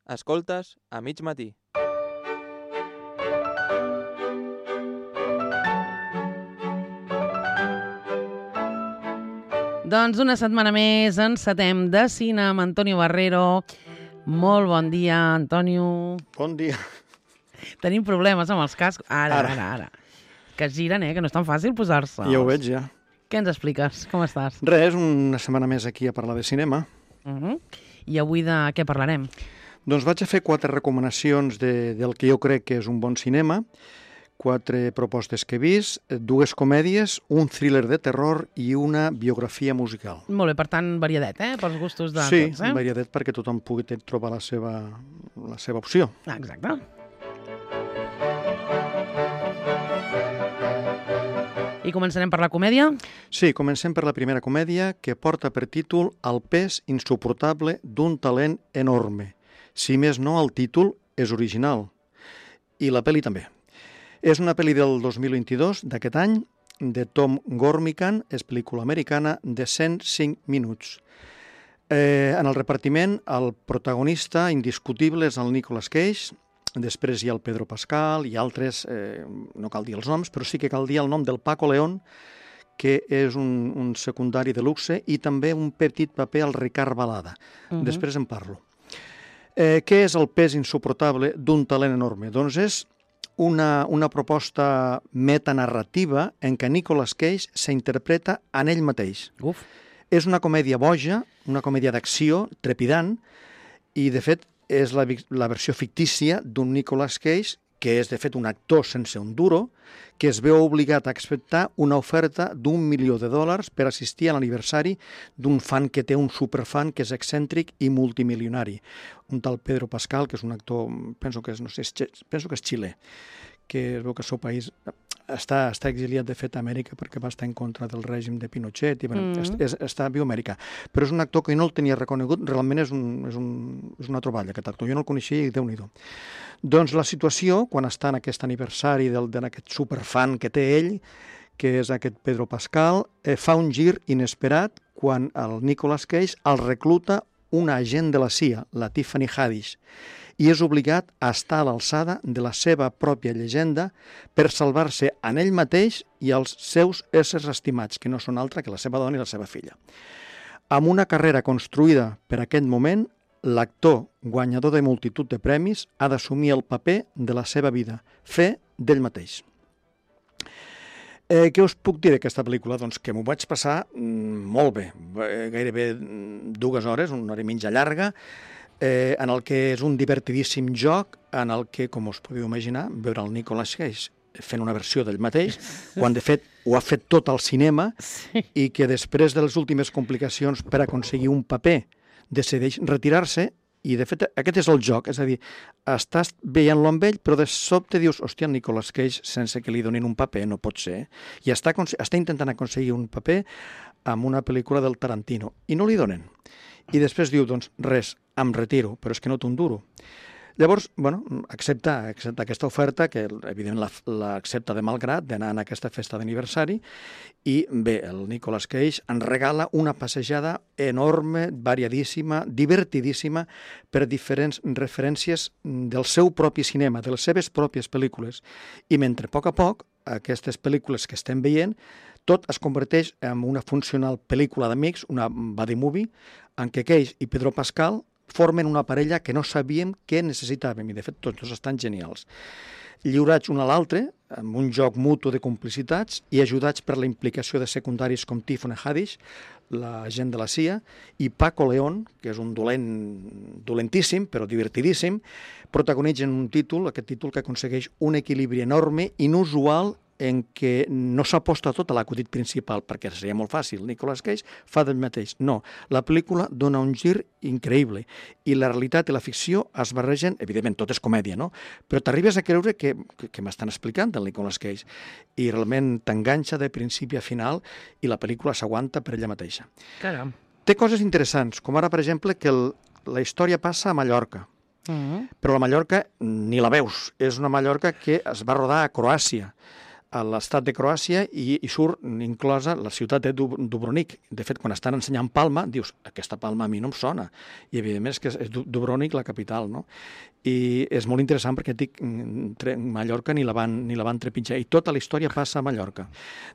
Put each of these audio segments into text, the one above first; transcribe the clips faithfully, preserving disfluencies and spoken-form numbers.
Escoltes a mig matí. Doncs una setmana més encetem de cine amb Antonio Barrero. Molt bon dia, Antonio. Bon dia. Tenim problemes amb els cascos. Ara, Ara. ara, ara. Que es giren, eh? Que no és tan fàcil posar-se. Ja ho veig, ja. Què ens expliques? Com estàs? Res, una setmana més aquí a parlar de cinema. Uh -huh. I avui de què parlarem? Doncs vaig a fer quatre recomanacions de, del que jo crec que és un bon cinema, quatre propostes que he vist, dues comèdies, un thriller de terror i una biografia musical. Molt bé, per tant, variadet, eh? Pels gustos de sí, tots, eh? Sí, variadet perquè tothom pugui trobar la seva, la seva opció. Ah, exacte. I començarem per la comèdia? Sí, comencem per la primera comèdia, que porta per títol El pes insuportable d'un talent enorme. Si més no, el títol és original. I la pel·li també. És una pel·li del dos mil vint-i-dos, d'aquest any, de Tom Gormican, és pel·lícula americana, de cent cinc minuts. Eh, en el repartiment, el protagonista indiscutible és el Nicolas Cage, després hi ha el Pedro Pascal i altres, eh, no cal dir els noms, però sí que cal dir el nom del Paco León, que és un, un secundari de luxe, i també un petit paper al Ricard Balada. Uh -huh. Després en parlo. Eh, què és el pes insuportable d'un talent enorme? Doncs és una, una proposta metanarrativa en què Nicolas Cage s'interpreta en ell mateix. Uf. És una comèdia boja, una comèdia d'acció, trepidant, i de fet és la, la versió fictícia d'un Nicolas Cage que és de fet un actor sense un duro, que es veu obligat a acceptar una oferta d'un milió de dòlars per assistir a l'aniversari d'un fan que té un superfan que és excèntric i multimilionari. Un tal Pedro Pascal, que és un actor, penso que és, no sé, penso que és xilè, que es veu que el seu país està, està exiliat, de fet, a Amèrica perquè va estar en contra del règim de Pinochet i bueno, mm -hmm. és, està viu a Amèrica. Però és un actor que no el tenia reconegut, realment és, un, és, un, és una troballa, aquest actor. Jo no el coneixia i Déu-n'hi-do. Doncs la situació, quan està en aquest aniversari d'aquest superfan que té ell, que és aquest Pedro Pascal, eh, fa un gir inesperat quan el Nicolas Cage el recluta un agent de la C I A, la Tiffany Haddish, i és obligat a estar a l'alçada de la seva pròpia llegenda per salvar-se en ell mateix i els seus éssers estimats, que no són altre que la seva dona i la seva filla. Amb una carrera construïda per aquest moment, l'actor, guanyador de multitud de premis, ha d'assumir el paper de la seva vida, fer d'ell mateix. Eh, què us puc dir d'aquesta pel·lícula? Doncs que m'ho vaig passar mm, molt bé, gairebé dues hores, una hora i mitja llarga, eh, en el que és un divertidíssim joc, en el que, com us podeu imaginar, veure el Nicolas Cage fent una versió d'ell mateix, quan de fet ho ha fet tot al cinema, sí. I que després de les últimes complicacions per aconseguir un paper decideix retirar-se. I, de fet, aquest és el joc, és a dir, estàs veient-lo amb ell, però de sobte dius, hòstia, Nicolas Cage, sense que li donin un paper, no pot ser. I està, està intentant aconseguir un paper amb una pel·lícula del Tarantino, i no li donen. I després diu, doncs, res, em retiro, però és que no té un duro. Llavors, bueno, accepta, accepta aquesta oferta, que evidentment l'accepta de malgrat, d'anar a aquesta festa d'aniversari, i bé, el Nicolas Cage ens regala una passejada enorme, variadíssima, divertidíssima, per diferents referències del seu propi cinema, de les seves pròpies pel·lícules. I mentre a poc a poc, aquestes pel·lícules que estem veient, tot es converteix en una funcional pel·lícula d'amics, una buddy movie, en què Cage i Pedro Pascal formen una parella que no sabíem què necessitàvem, i de fet tots dos estan genials. Lliurats un a l'altre, amb un joc mutu de complicitats, i ajudats per la implicació de secundaris com Tiffany Haddish, la gent de la C I A, i Paco León, que és un dolent dolentíssim, però divertidíssim, protagonitzen un títol, aquest títol que aconsegueix un equilibri enorme, inusual, en què no s'aposta tot a l'acudit principal, perquè seria molt fàcil. Nicolas Cage fa del mateix. No, la pel·lícula dona un gir increïble i la realitat i la ficció es barregen, evidentment tot és comèdia, no? Però t'arribes a creure que, que, que m'estan explicant del Nicolas Cage i realment t'enganxa de principi a final i la pel·lícula s'aguanta per ella mateixa. Caram. Té coses interessants, com ara, per exemple, que el, la història passa a Mallorca, mm-hmm. però la Mallorca ni la veus. És una Mallorca que es va rodar a Croàcia. a l'estat de Croàcia i, i surt inclosa la ciutat de Dub Dubrovnik. De fet, quan estan ensenyant Palma, dius, aquesta Palma a mi no em sona. I, evidentment, és que és Dubrovnik la capital, no? I és molt interessant perquè dic, Mallorca ni la, van, ni la van trepitjar. I tota la història passa a Mallorca.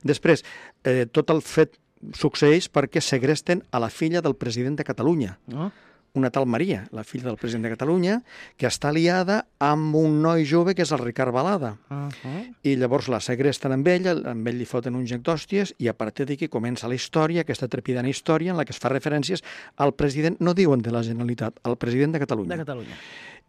Després, eh, tot el fet succeeix perquè segresten a la filla del president de Catalunya. Oh. Una tal Maria, la filla del president de Catalunya, que està aliada amb un noi jove que és el Ricard Balada. Uh -huh. I llavors la segresten amb ell, amb ell li foten un joc d'hòsties, i a partir d'aquí comença la història, aquesta trepidant història en la que es fa referències al president, no diuen de la Generalitat, al president de Catalunya. De Catalunya.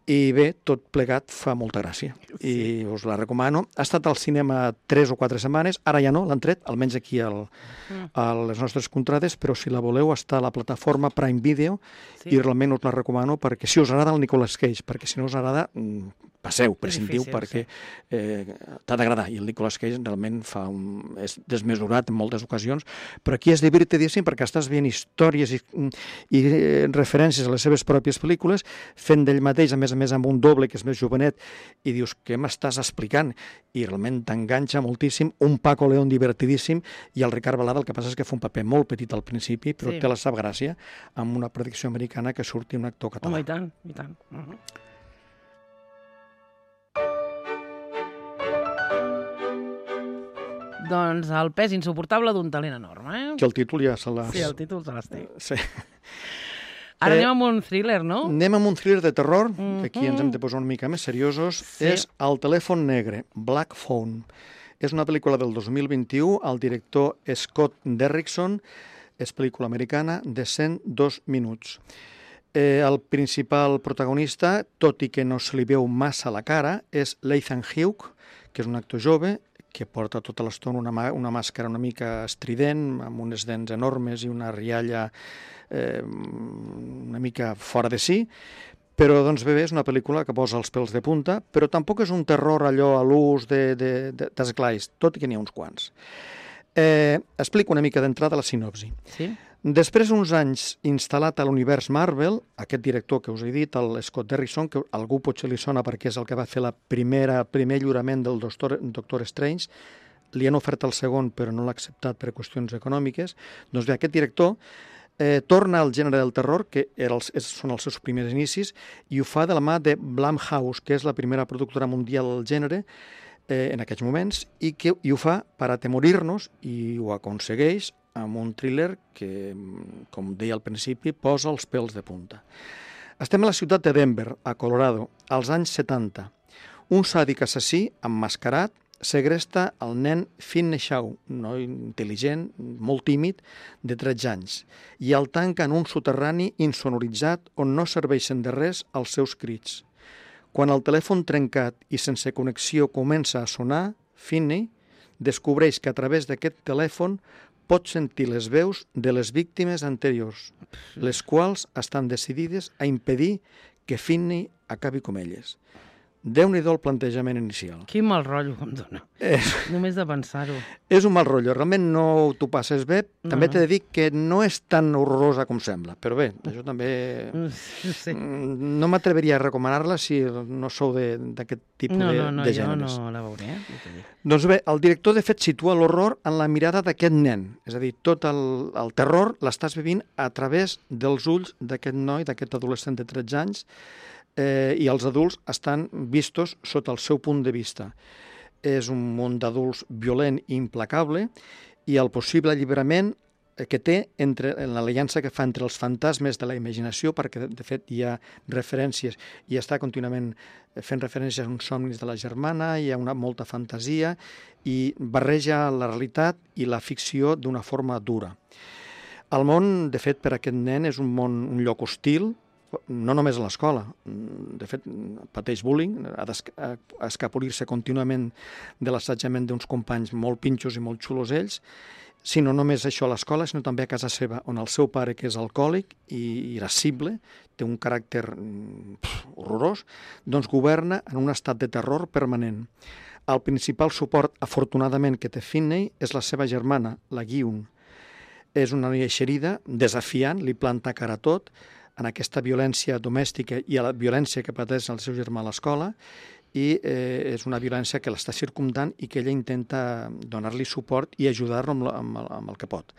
I bé, tot plegat fa molta gràcia. Sí. I us la recomano. Ha estat al cinema tres o quatre setmanes, ara ja no, l'han tret, almenys aquí al, a les nostres contrades, però si la voleu està a la plataforma Prime Video, sí. I realment us la recomano perquè si us agrada el Nicolas Cage, perquè si no us agrada, passeu, prescindiu, difícil, perquè sí. eh, t'ha d'agradar. I el Nicolas Cage realment fa un, és desmesurat en moltes ocasions, però aquí és divertidíssim perquè estàs veient històries i, i eh, referències a les seves pròpies pel·lícules, fent d'ell mateix, a més a més amb un doble que és més jovenet, i dius, què m'estàs explicant? I realment t'enganxa moltíssim, un Paco León divertidíssim, i el Ricard Balada el que passa és que fa un paper molt petit al principi, però sí. Té la sap gràcia, amb una predicció americana que surti un actor català. Home, i tant, i tant. Uh -huh. Doncs el pes insuportable d'un talent enorme, eh? Que el títol ja se l'has... Sí, el títol se l'has té. Sí. Ara eh, anem amb un thriller, no? Anem amb un thriller de terror, uh-huh. que aquí ens hem de posar una mica més seriosos. Sí. És El telèfon negre, Black Phone. És una pel·lícula del dos mil vint-i-u, el director Scott Derrickson, és pel·lícula americana de cent dos minuts. Eh, el principal protagonista, tot i que no se li veu massa la cara, és Ethan Hawke, que és un actor jove, que porta tota l'estona una, una màscara una mica estrident, amb unes dents enormes i una rialla eh, una mica fora de si, però doncs bé, és una pel·lícula que posa els pèls de punta, però tampoc és un terror allò a l'ús d'esglais, tot i que n'hi ha uns quants. Eh, explico una mica d'entrada la sinopsi. Sí? Després d'uns anys instal·lat a l'univers Marvel, aquest director que us he dit, el Scott Derrickson, que algú potser li sona perquè és el que va fer la primera, primer lliurament del Doctor, Doctor Strange, li han ofert el segon però no l'ha acceptat per qüestions econòmiques, doncs bé, aquest director eh, torna al gènere del terror, que era els, són els seus primers inicis, i ho fa de la mà de Blumhouse, que és la primera productora mundial del gènere, eh, en aquests moments, i, que, i ho fa per atemorir-nos, i ho aconsegueix amb un thriller que, com deia al principi, posa els pèls de punta. Estem a la ciutat de Denver, a Colorado, als anys setanta. Un sàdic assassí, emmascarat, segresta el nen Finney Shaw, un noi intel·ligent, molt tímid, de tretze anys, i el tanca en un soterrani insonoritzat on no serveixen de res els seus crits. Quan el telèfon trencat i sense connexió comença a sonar, Finney descobreix que a través d'aquest telèfon pot sentir les veus de les víctimes anteriors, les quals estan decidides a impedir que Finney acabi com elles. Déu-n'hi-do el plantejament inicial. Quin mal rotllo que em dona. És... Només de pensar-ho. És un mal rotllo. Realment no t'ho passes bé. També No, no. t'he de dir que no és tan horrorosa com sembla. Però bé, això també... Sí. No m'atreveria a recomanar-la si no sou de- d'aquest tipus No, de, no, no, de jo gèneres. no la veuré. Eh? Ja t'ho dic. Doncs bé, el director de fet situa l'horror en la mirada d'aquest nen. És a dir, tot el, el terror l'estàs vivint a través dels ulls d'aquest noi, d'aquest adolescent de tretze anys, eh, i els adults estan vistos sota el seu punt de vista. És un món d'adults violent i implacable, i el possible alliberament que té entre en l'aliança que fa entre els fantasmes de la imaginació, perquè de fet hi ha referències i està contínuament fent referències a uns somnis de la germana, hi ha una molta fantasia i barreja la realitat i la ficció d'una forma dura. El món, de fet, per a aquest nen és un món, un lloc hostil, no només a l'escola. De fet, pateix bullying, ha d'escapolir-se contínuament de l'assetjament d'uns companys molt pinxos i molt xulos ells, si no només això a l'escola, sinó també a casa seva, on el seu pare, que és alcohòlic i irascible, té un caràcter pf, horrorós, doncs governa en un estat de terror permanent. El principal suport, afortunadament, que té Finney és la seva germana, la Gyun. És una noia eixerida, desafiant, li planta cara a tot, en aquesta violència domèstica i a la violència que pateix el seu germà a l'escola, i eh, és una violència que l'està circumdant i que ella intenta donar-li suport i ajudar-lo amb, amb, amb el que pot.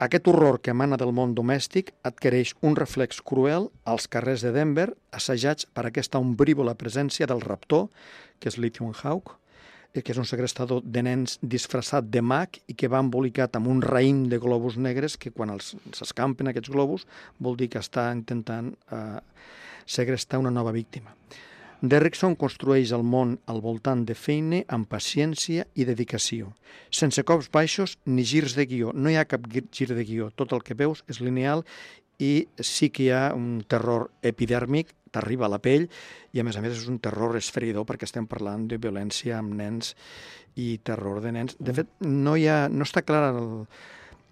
Aquest horror que emana del món domèstic adquireix un reflex cruel als carrers de Denver, assajats per aquesta ombrívola presència del raptor, que és Lithium Hawk, que és un segrestador de nens disfressat de mag i que va embolicat amb un raïm de globus negres que quan s'escampen aquests globus vol dir que està intentant eh, segrestar una nova víctima. Derrickson construeix el món al voltant de Feine amb paciència i dedicació, sense cops baixos ni girs de guió. No hi ha cap gir de guió, tot el que veus és lineal i sí que hi ha un terror epidèrmic, t'arriba a la pell, i a més a més és un terror esfereïdor perquè estem parlant de violència amb nens i terror de nens. De fet, no, hi ha, no està clar el,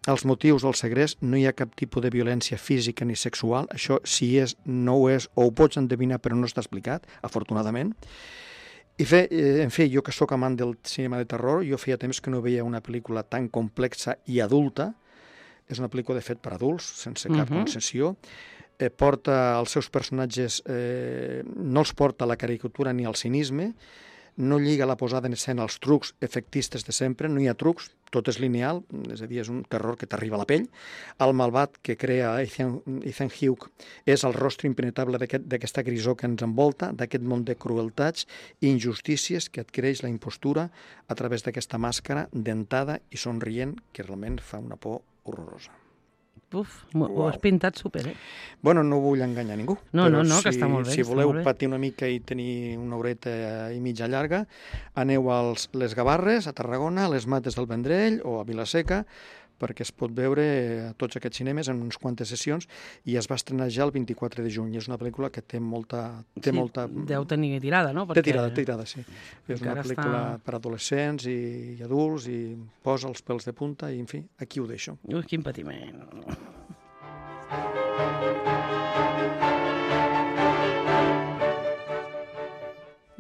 els motius del segrest, no hi ha cap tipus de violència física ni sexual. Això, si és, no ho és, o ho pots endevinar, però no està explicat, afortunadament. I fe, en fi, jo que sóc amant del cinema de terror, jo feia temps que no veia una pel·lícula tan complexa i adulta. És una pel·lícula, de fet, per adults, sense cap uh-huh. concessió. Eh, porta els seus personatges, eh, no els porta a la caricatura ni al cinisme, no lliga la posada en escena als trucs efectistes de sempre, no hi ha trucs, tot és lineal, és a dir, és un terror que t'arriba a la pell. El malvat que crea Ethan, Ethan Hawke és el rostre impenetrable d'aquesta grisó que ens envolta, d'aquest món de crueltats i injustícies que adquireix la impostura a través d'aquesta màscara dentada i somrient que realment fa una por horrorosa. Uf, ho has pintat súper, eh? Bueno, no vull enganyar ningú. No, no, no, si, que està molt bé. Si voleu patir una mica i tenir una horeta i mitja llarga, aneu a les Gavarres, a Tarragona, a les Mates del Vendrell o a Vilaseca, perquè es pot veure a tots aquests cinemes en unes quantes sessions i es va estrenar ja el vint-i-quatre de juny. És una pel·lícula que té molta... Té sí, molta... deu tenir tirada, no? Perquè... Té tirada, té tirada, sí. És una pel·lícula està... per adolescents i, i adults i posa els pèls de punta i, en fi, aquí ho deixo. Ui, quin patiment.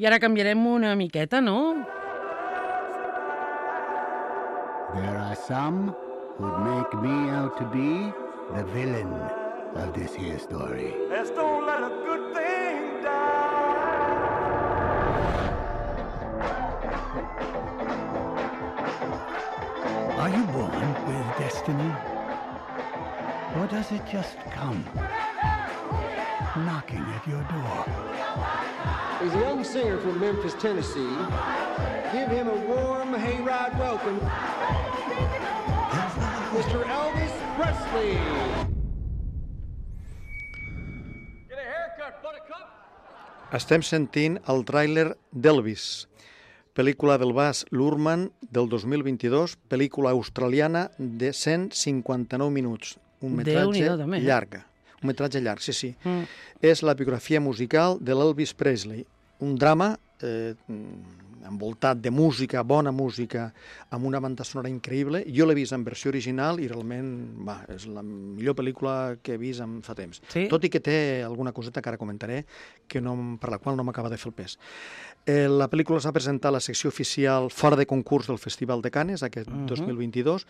I ara canviarem una miqueta, no? There are some who'd make me out to be the villain of this here story. Let's don't let a good thing die. Are you born with destiny? Or does it just come knocking at your door? He's a young singer from Memphis, Tennessee. Give him a warm hayride welcome, mister Elvis Presley. Get a haircut, buttercup. Estem sentint el tràiler d'Elvis, pel·lícula del Baz Luhrmann del dos mil vint-i-dos, pel·lícula australiana de cent cinquanta-nou minuts. Un metratge llarg. Un metratge llarg, sí, sí. Mm. És la biografia musical de l'Elvis Presley. Un drama eh, envoltat de música, bona música, amb una banda sonora increïble. Jo l'he vist en versió original i realment va, és la millor pel·lícula que he vist en fa temps. Sí? Tot i que té alguna coseta que ara comentaré que no, per la qual no m'acaba de fer el pes. Eh, la pel·lícula es va presentar a la secció oficial fora de concurs del Festival de Cannes aquest uh-huh. dos mil vint-i-dos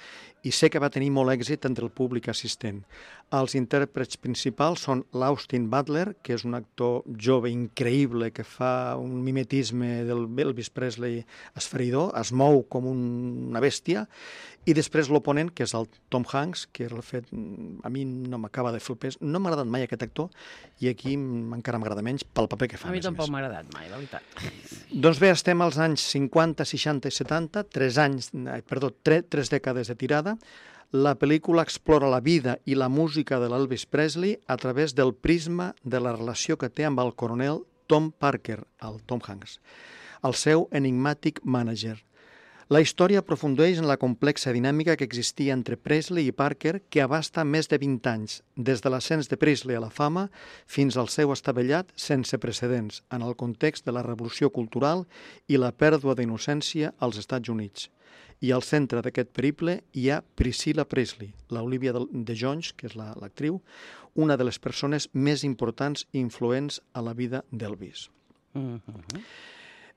i sé que va tenir molt èxit entre el públic assistent. Els intèrprets principals són l'Austin Butler, que és un actor jove increïble que fa un mimetisme del Elvis Presley esfereïdor, es mou com una bèstia, i després l'oponent, que és el Tom Hanks, que el fet, a mi no m'acaba de fer el pes, no m'ha agradat mai aquest actor, i aquí encara m'agrada menys pel paper que fa. A mi tampoc m'ha agradat mai, la veritat. Doncs bé, estem als anys cinquanta, seixanta i setanta, tres anys, perdó, tres, tres dècades de tirada. La pel·lícula explora la vida i la música de l'Elvis Presley a través del prisma de la relació que té amb el coronel Tom Parker, el Tom Hanks, el seu enigmàtic mànager. La història aprofundeix en la complexa dinàmica que existia entre Presley i Parker, que abasta més de vint anys, des de l'ascens de Presley a la fama fins al seu estavellat sense precedents en el context de la revolució cultural i la pèrdua d'innocència als Estats Units. I al centre d'aquest periple hi ha Priscilla Presley, l'Olivia de Jones, que és l'actriu, una de les persones més importants i influents a la vida d'Elvis. Uh-huh.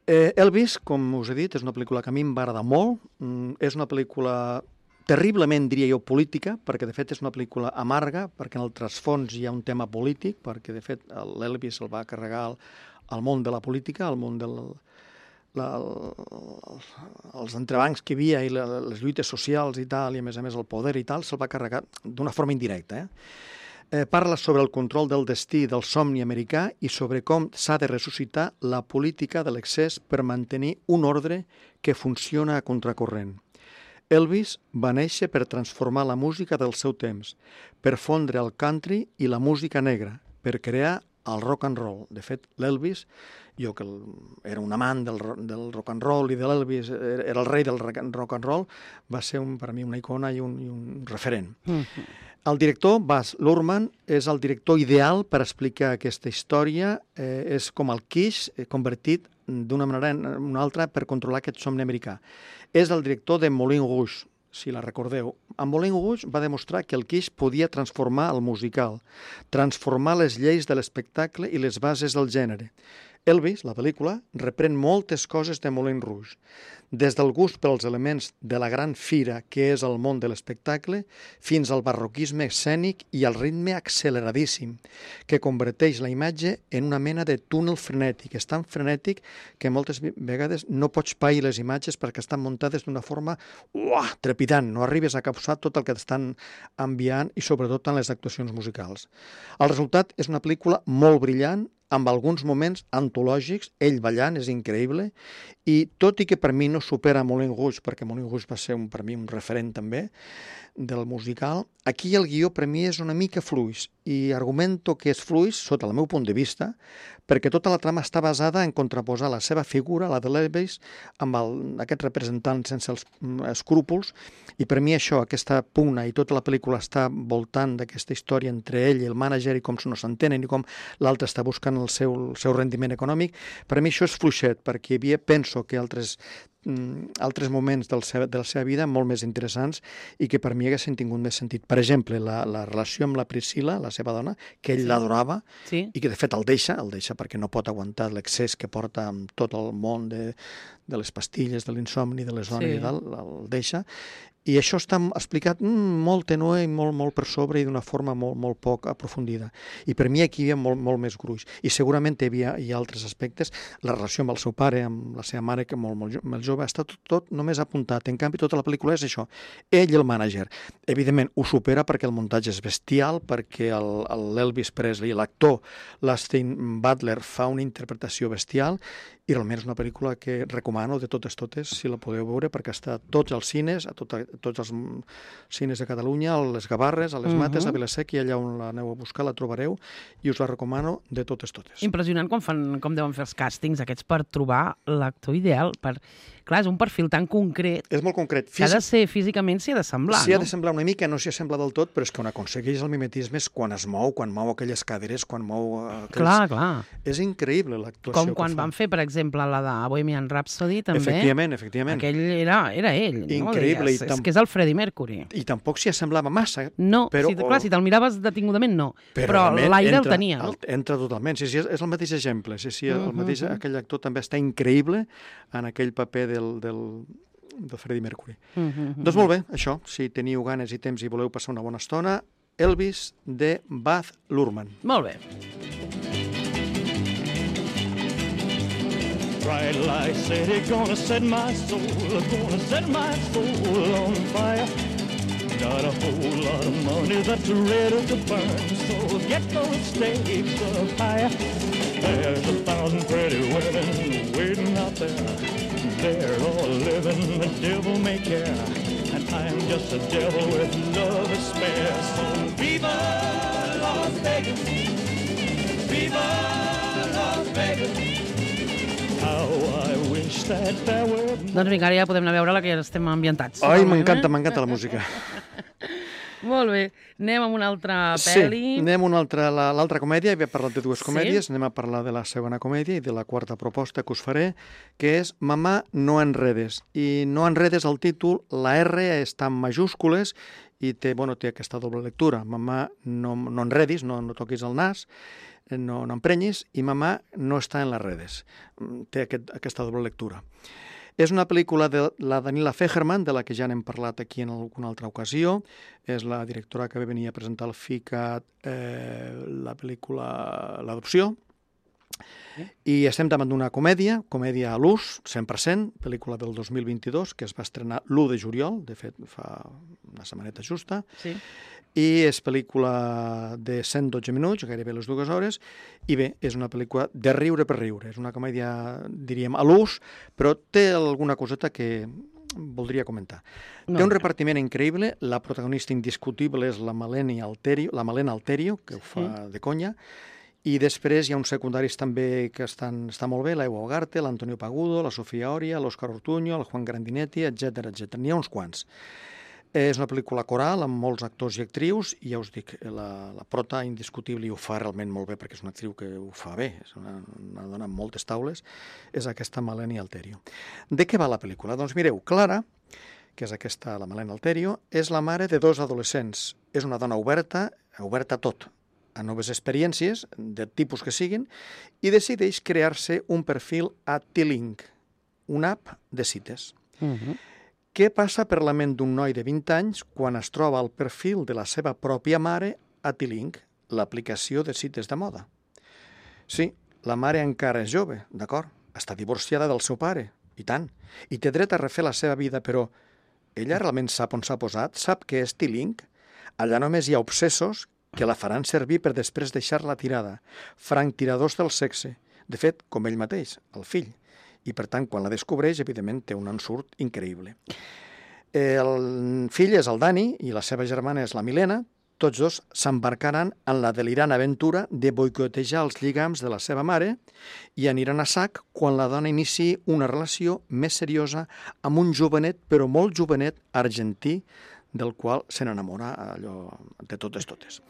Eh, Elvis, com us he dit, és una pel·lícula que a mi em va agradar molt. Mm, és una pel·lícula terriblement, diria jo, política, perquè de fet és una pel·lícula amarga, perquè en el trasfons hi ha un tema polític, perquè de fet l'Elvis el va carregar el, al món de la política, al món del, la, el, els entrebancs que hi havia i la, les lluites socials i tal, i a més a més el poder i tal, se'l va carregar d'una forma indirecta. Eh? Eh, parla sobre el control del destí del somni americà i sobre com s'ha de ressuscitar la política de l'excés per mantenir un ordre que funciona a contracorrent. Elvis va néixer per transformar la música del seu temps, per fondre el country i la música negra, per crear el rock and roll. De fet, l'Elvis, jo que era un amant del, del rock and roll i de l'Elvis, era el rei del rock and roll, va ser un, per a mi una icona i un, i un referent. Mm-hmm. El director, Baz Luhrmann, és el director ideal per explicar aquesta història. Eh, és com el Kiss convertit d'una manera en una altra per controlar aquest somni americà. És el director de Moulin Rouge, si la recordeu. En Moulin Rouge va demostrar que el Kiss podia transformar el musical, transformar les lleis de l'espectacle i les bases del gènere. Elvis, la pel·lícula, reprèn moltes coses de Moulin Rouge, des del gust pels elements de la gran fira que és el món de l'espectacle fins al barroquisme escènic i al ritme acceleradíssim que converteix la imatge en una mena de túnel frenètic. És tan frenètic que moltes vegades no pots pair les imatges perquè estan muntades d'una forma uah, trepidant. No arribes a captar tot el que t'estan enviant i sobretot en les actuacions musicals. El resultat és una pel·lícula molt brillant, amb alguns moments antològics, ell ballant, és increïble, i tot i que per mi no supera Moulin Rouge, perquè Moulin Rouge va ser un, per mi un referent també del musical, aquí el guió per mi és una mica fluix, i argumento que és fluix sota el meu punt de vista, perquè tota la trama està basada en contraposar la seva figura, la de l'Elvis, amb el, aquest representant sense els escrúpols, i per mi això, aquesta pugna i tota la pel·lícula està voltant d'aquesta història entre ell i el mànager i com no s'entenen i com l'altre està buscant el seu, el seu rendiment econòmic. Per mi això és fluixet, perquè hi havia, penso que altres altres moments del seu, de la seva vida molt més interessants i que per mi haguessin tingut més sentit. Per exemple, la, la relació amb la Priscilla, la seva dona, que ell sí. l'adorava sí. i que de fet el deixa, el deixa perquè no pot aguantar l'excés que porta amb tot el món de, de les pastilles, de l'insomni, de les dones sí. i tal, el deixa. I això està explicat mm, molt tenue i molt, molt per sobre i d'una forma molt, molt poc aprofundida. I per mi aquí hi havia molt, molt més gruix. I segurament hi havia hi ha altres aspectes. La relació amb el seu pare, amb la seva mare, que molt, molt, molt jove, està tot, tot només apuntat. En canvi, tota la pel·lícula és això. Ell i el mànager. Evidentment, ho supera perquè el muntatge és bestial, perquè l'Elvis Presley, l'actor l'Austin Butler, fa una interpretació bestial, i realment és una pel·lícula que recomano de totes totes, si la podeu veure, perquè està a tots els cines, a, tot, a tots els cines de Catalunya, a les Gavarres, a les Mates, uh -huh. a Vilaseca, i allà on l'aneu a buscar la trobareu, i us la recomano de totes totes. Impressionant com, fan, com deuen fer els càstings aquests per trobar l'actor ideal, per... Clar, és un perfil tan concret. És molt concret. Físic... Que ha de ser, físicament s'hi ha de semblar, no? S'hi ha de semblar una mica, no s'hi assembla del tot, però és que on aconsegueix el mimetisme és quan es mou, quan mou aquelles caderes, quan mou... Aquells... Clar, clar. És increïble l'actuació Com que quan fa. van fer, per exemple, la de Bohemian Rhapsody, també. Efectivament, efectivament. Aquell era, era ell, increïble, no? I tam... És que és el Freddie Mercury. I tampoc s'hi assemblava massa. No, però... si, clar, si te'l miraves detingudament, no. Però, però l'aire el tenia, no? El, entra totalment. Sí, sí, és el mateix exemple. Sí, sí, el uh -huh. mateix, aquell actor també està increïble en aquell paper del... del de Freddie Mercury. Uh -huh. Doncs molt bé, això, si teniu ganes i temps i voleu passar una bona estona, Elvis de Baz Luhrmann. Molt bé. Bright light city, gonna set my soul, gonna set my soul on fire. Got a whole lot of money that's ready to burn, so get those stakes up higher. There's a thousand pretty women waiting out there. They're all living the devil may care, and I'm just a devil with love to spare. So viva Las Vegas, viva Las Vegas. How I wish that there were... Doncs vinga, ara ja podem anar a veure la que ja estem ambientats. Ai, m'encanta, m'encanta la música. Molt bé. Anem amb una altra pel·li. Sí, anem a una altra, l'altra comèdia. Havia parlat de dues comèdies. Sí? Anem a parlar de la segona comèdia i de la quarta proposta que us faré, que és Mamà, no enredes. I no enredes el títol, la R està en majúscules i té, bueno, té aquesta doble lectura. Mamà, no, no enredis, no, no toquis el nas, no, no emprenyis, i Mamà no està en les redes. Té aquest, aquesta doble lectura. És una pel·lícula de la Daniela Fegerman, de la que ja n'hem parlat aquí en alguna altra ocasió. És la directora que va venir a presentar al FICAT eh, la pel·lícula L'adopció. I estem davant d'una comèdia, comèdia a l'ús, cent per cent, pel·lícula del dos mil vint-i-dos, que es va estrenar l'u de juliol, de fet fa una setmaneta justa, Sí. i és pel·lícula de cent dotze minuts, gairebé les dues hores, i bé, és una pel·lícula de riure per riure, és una comèdia, diríem, a l'ús, però té alguna coseta que voldria comentar. No. Té un repartiment increïble, la protagonista indiscutible és la Malena Alterio, la Malena Alterio, que ho fa de conya, i després hi ha uns secundaris també que estan, està molt bé, l'Ewa Ugarte, l'Antonio Pagudo, la Sofia Oria, l'Òscar Ortuño, el Juan Grandinetti, etcètera etcètera. N'hi ha uns quants. És una pel·lícula coral amb molts actors i actrius i ja us dic, la, la prota indiscutible i ho fa realment molt bé perquè és una actriu que ho fa bé, és una, una dona amb moltes taules, és aquesta Malena Alterio. De què va la pel·lícula? Doncs mireu, Clara, que és aquesta, la Malena Alterio, és la mare de dos adolescents. És una dona oberta, oberta a tot, a noves experiències, de tipus que siguin, i decideix crear-se un perfil a T-Link, una app de cites. Uh -huh. Què passa per la ment d'un noi de vint anys quan es troba al perfil de la seva pròpia mare a T-Link, l'aplicació de cites de moda? Sí, la mare encara és jove, d'acord, està divorciada del seu pare, i tant, i té dret a refer la seva vida, però ella realment sap on s'ha posat? Sap què és T-Link? Allà només hi ha obsessos que la faran servir per després deixar-la tirada, franctiradors del sexe, de fet, com ell mateix, el fill. I, per tant, quan la descobreix, evidentment, té un ensurt increïble. El fill és el Dani i la seva germana és la Milena. Tots dos s'embarcaran en la delirant aventura de boicotejar els lligams de la seva mare i aniran a sac quan la dona iniciï una relació més seriosa amb un jovenet, però molt jovenet, argentí, del qual se n'enamora allò de totes totes.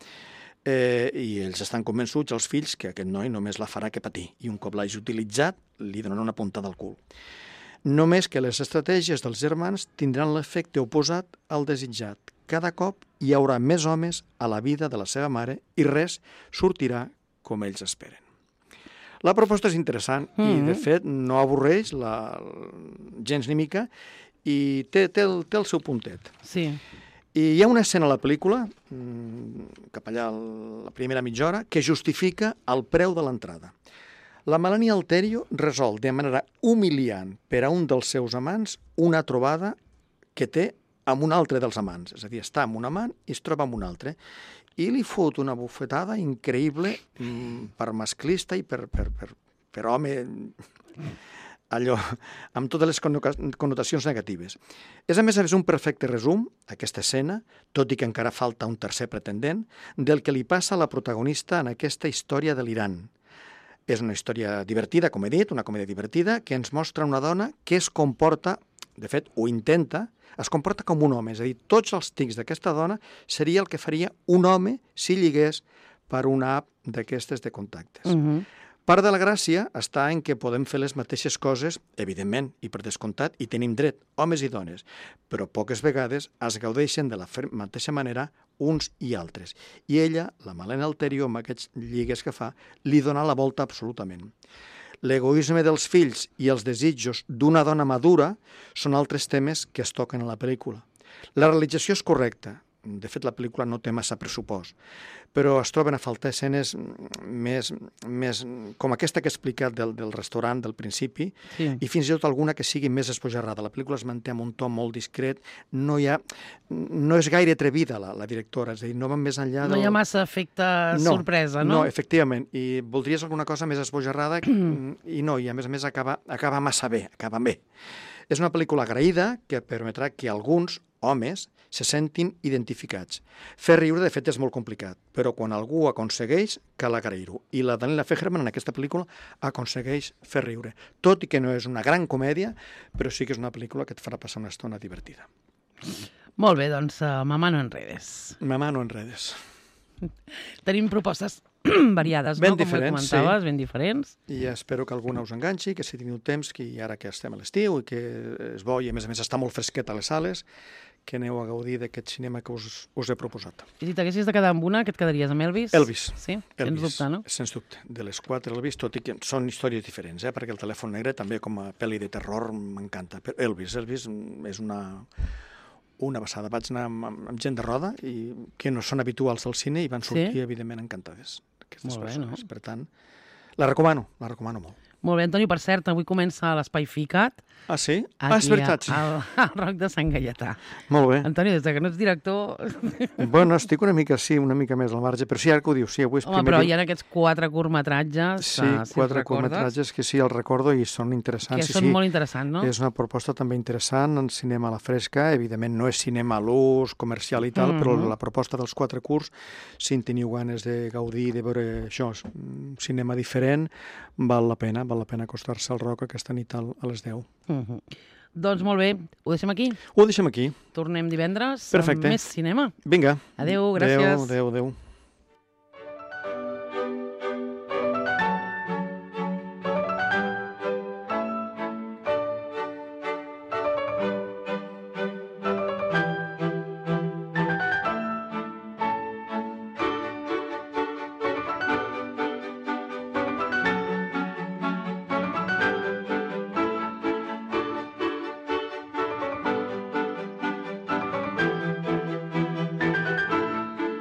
Eh, I ells estan convençuts, els fills, que aquest noi només la farà que patir i un cop l'hagi utilitzat li donaran una puntada al cul. Només que les estratègies dels germans tindran l'efecte oposat al desitjat. Cada cop hi haurà més homes a la vida de la seva mare i res sortirà com ells esperen. La proposta és interessant mm-hmm. i, de fet, no avorreix la, gens ni mica i té, té, el, té el seu puntet. Sí. I hi ha una escena a la pel·lícula, cap allà a la primera mitja hora, que justifica el preu de l'entrada. La Melania Alterio resol de manera humiliant per a un dels seus amants una trobada que té amb un altre dels amants. És a dir, està amb un amant i es troba amb un altre. I li fot una bufetada increïble per masclista i per, per, per, per home... allò, amb totes les connotacions negatives. És, a més a més, un perfecte resum, aquesta escena, tot i que encara falta un tercer pretendent, del que li passa a la protagonista en aquesta història delirant. És una història divertida, com he dit, una comèdia divertida, que ens mostra una dona que es comporta, de fet, ho intenta, es comporta com un home. És a dir, tots els tics d'aquesta dona seria el que faria un home si lligués per una app d'aquestes de contactes. Uh-huh. Part de la gràcia està en que podem fer les mateixes coses, evidentment, i per descomptat, i tenim dret, homes i dones, però poques vegades es gaudeixen de la mateixa manera uns i altres. I ella, la Malena Alterio, amb aquests lligues que fa, li dona la volta absolutament. L'egoisme dels fills i els desitjos d'una dona madura són altres temes que es toquen a la pel·lícula. La realització és correcta. De fet, la pel·lícula no té massa pressupost, però es troben a faltar escenes més, més com aquesta que he explicat del, del restaurant del principi, sí. i fins i tot alguna que sigui més esbojarrada. La pel·lícula es manté amb un to molt discret, no hi ha, no és gaire atrevida la, la directora, és a dir, no va més enllà del... No hi ha massa efecte no, sorpresa, no? No, efectivament, i voldries alguna cosa més esbojarrada i no, i a més a més acaba, acaba massa bé, acaba bé. És una pel·lícula agraïda que permetrà que alguns homes se sentin identificats. Fer riure, de fet, és molt complicat, però quan algú aconsegueix, cal agrair-ho. I la Daniela Fegerman, en aquesta pel·lícula, aconsegueix fer riure. Tot i que no és una gran comèdia, però sí que és una pel·lícula que et farà passar una estona divertida. Molt bé, doncs, uh, Mamà no enredes. Mamà no enredes. Tenim propostes variades, ben no? diferents, com comentaves, sí. ben diferents. I espero que alguna us enganxi, que si teniu temps, que ara que estem a l'estiu i que és bo i a més a més està molt fresquet a les sales, que aneu a gaudir d'aquest cinema que us, us he proposat. I si t'haguessis de quedar amb una, que et quedaries amb Elvis? Elvis. Sí? Elvis. Sens dubte, no? Sens dubte. De les quatre Elvis, tot i que són històries diferents, eh? Perquè el telèfon negre també com a pel·li de terror m'encanta. Però Elvis, Elvis és una, una passada. Vaig anar amb, amb gent de roda i que no són habituals al cine i van sortir, sí? Evidentment, encantades. Aquestes Molt bé, persones. No? Per tant, La recomano, la recomano molt. Molt bé, Antoni, per cert, avui comença l'Espai Ficat. Ah, sí? Ah, és Aquí, veritat, sí. al, al Roc de Sant Gaietà. Molt bé. Antoni, des que no ets director... Bueno, estic una mica, sí, una mica més al marge, però sí, ara que ho dius, sí, avui és Home, primer però dia. hi ha aquests quatre curtmetratges, Sí, uh, si quatre els recordes, curtmetratges que sí, els recordo i són interessants. que sí, són sí. molt interessants, no? És una proposta també interessant en cinema a la fresca. Evidentment no és cinema a l'ús, comercial i tal, Mhm. però la proposta dels quatre curts, si en teniu ganes de gaudir, de veure això, un cinema diferent, val la pena, val la pena acostar-se al Roc aquesta nit al- a les deu. Uh -huh. Doncs molt bé, ho deixem aquí. Ho deixem aquí. Tornem divendres Perfecte. amb més cinema. Vinga. Adéu, gràcies. Adéu, adéu, adéu.